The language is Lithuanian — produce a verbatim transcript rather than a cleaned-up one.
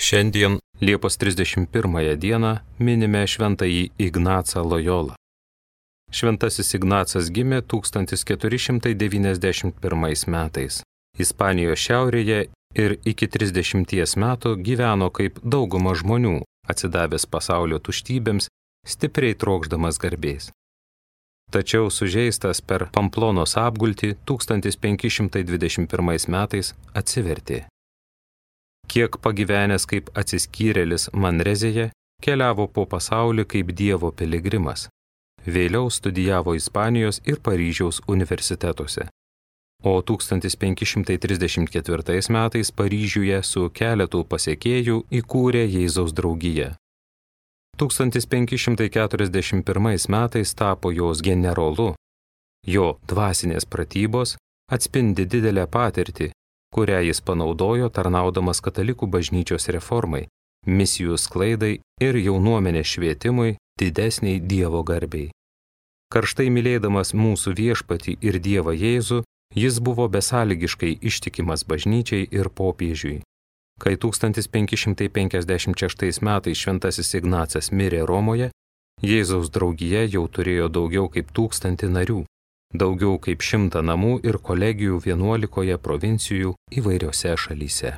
Šiandien, Liepos trisdešimt pirmąją dieną, minime šventąjį Ignacą Lojolą. Šventasis Ignacas gimė tūkstantis keturi šimtai devyniasdešimt pirmais metais. Ispanijos šiaurėje ir iki trisdešimties metų gyveno kaip dauguma žmonių, atsidavęs pasaulio tuštybėms, stipriai trokšdamas garbės. Tačiau sužeistas per Pamplonos apgultį tūkstantis penki šimtai dvidešimt pirmais metais atsivertė. Kiek pagyvenęs kaip atsiskyrėlis Manrezėje, keliavo po pasaulį kaip Dievo piligrimas. Vėliau studijavo Ispanijos ir Paryžiaus universitetuose. O tūkstantis penki šimtai trisdešimt ketvirtais metais Paryžiuje su keletu pasekėjų įkūrė Jėzaus draugiją. tūkstantis penki šimtai keturiasdešimt pirmais metais tapo jos generolu. Jo dvasinės pratybos atspindi didelę patirtį, kurią jis panaudojo tarnaudamas katalikų bažnyčios reformai, misijų sklaidai ir jaunuomenės švietimui didesniai Dievo garbei. Karštai mylėdamas mūsų viešpatį ir Dievą Jėzų, jis buvo besąlygiškai ištikimas bažnyčiai ir popiežiui. Kai tūkstantis penki šimtai penkiasdešimt šeštais metais šventasis Ignacas mirė Romoje, Jėzaus draugija jau turėjo daugiau kaip tūkstantį narių, daugiau kaip šimtą namų ir kolegijų vienuolikoje provincijų įvairiose šalyse.